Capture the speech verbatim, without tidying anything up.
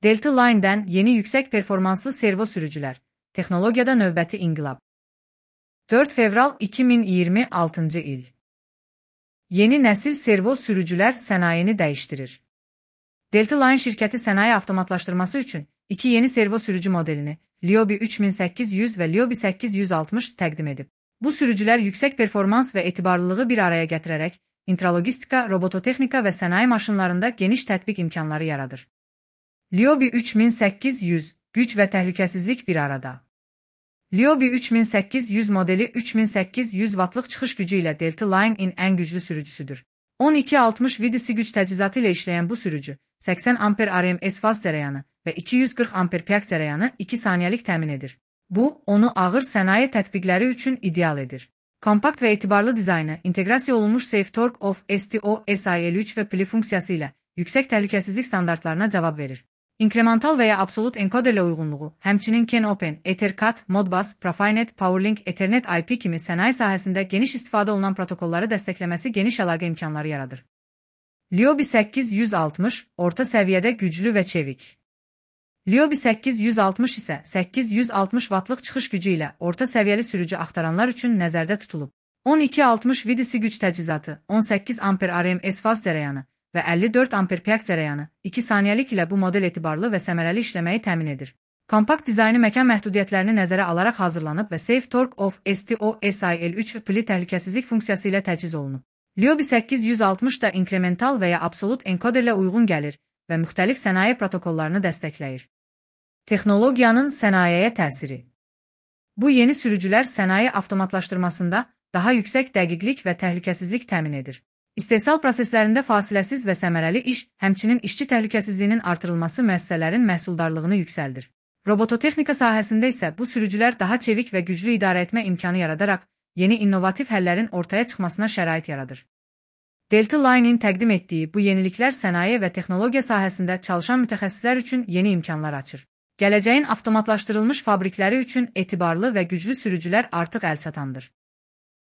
Delta Line'den yeni yüksek performanslı servo sürücüler. Texnologiyada növbəti inqilab. dörd fevral iki min iyirmi altıncı il. Yeni nəsil servo sürücülər sənayeni dəyişdirir. Delta Line şirkəti sənaye avtomatlaşdırması üçün iki yeni servo sürücü modelini Liobi üç min səkkiz yüz və Liobi səkkiz yüz altmış təqdim edib. Bu sürücülər yüksək performans və etibarlılığı bir araya gətirərək intralogistika, robototexnika və sənaye maşınlarında geniş tətbiq imkanları yaradır. Liobi üç min səkkiz yüz, güc və təhlükəsizlik bir arada. Liobi üç min səkkiz yüz modeli üç min səkkiz yüz vatlıq çıxış gücü ilə Delta Line-in ən güclü sürücüsüdür. on iki altmış V D C güc təchizatı ilə işləyən bu sürücü, səksən amper R M S faz cərəyanı və iki yüz qırx amper piyak cərəyanı iki saniyəlik təmin edir. Bu, onu ağır sənaye tətbiqləri üçün ideal edir. Kompakt və etibarlı dizaynı, inteqrasiya olunmuş SafeTorque of S T O S I L üç və pili funksiyası ilə yüksək təhlükəsizlik standartlarına cavab verir. İnkremental və ya absolut enkoderlə uyğunluğu, həmçinin CAN-Open, EtherCAT, Modbus, Profinet, PowerLink, Ethernet I P kimi sənaye sahəsində geniş istifadə olunan protokolları dəstəkləməsi geniş əlaqə imkanları yaradır. Liobi səkkiz yüz altmış, orta səviyyədə güclü və çevik. Liobi səkkiz yüz altmış isə səkkiz yüz altmış vatlıq çıxış gücü ilə orta səviyyəli sürücü axtaranlar üçün nəzərdə tutulub. on iki altmış V D C güc təchizatı, on səkkiz amper R M S faz cərəyanı və əlli dörd amper piyak cərəyanı iki saniyəlik ilə bu model etibarlı və səmərəli işləməyi təmin edir. Kompakt dizaynı məkan məhdudiyyətlərini nəzərə alaraq hazırlanıb və SafeTorque of S T O S I L üç pili təhlükəsizlik funksiyası ilə təchiz olunub. Liobi səkkiz yüz altmış da inkremental və ya absolut enkoderlə uyğun gəlir və müxtəlif sənaye protokollarını dəstəkləyir. Texnologiyanın sənayeye təsiri. Bu yeni sürücülər sənaye avtomatlaşdırmasında daha yüksək dəqiqlik və təhlükəsizlik təmin edir. İstehsal proseslərində fasiləsiz və səmərəli iş, həmçinin işçi təhlükəsizliyinin artırılması müəssisələrin məhsuldarlığını yüksəldir. Robototexnika sahəsində isə bu sürücülər daha çevik və güclü idarə etmə imkanı yaradaraq yeni innovativ həllərin ortaya çıxmasına şərait yaradır. Delta Line-in təqdim etdiyi bu yeniliklər sənaye və texnologiya sahəsində çalışan mütəxəssislər üçün yeni imkanlar açır. Gələcəyin avtomatlaşdırılmış fabrikləri üçün etibarlı və güclü sürücülər artıq əlçatandır.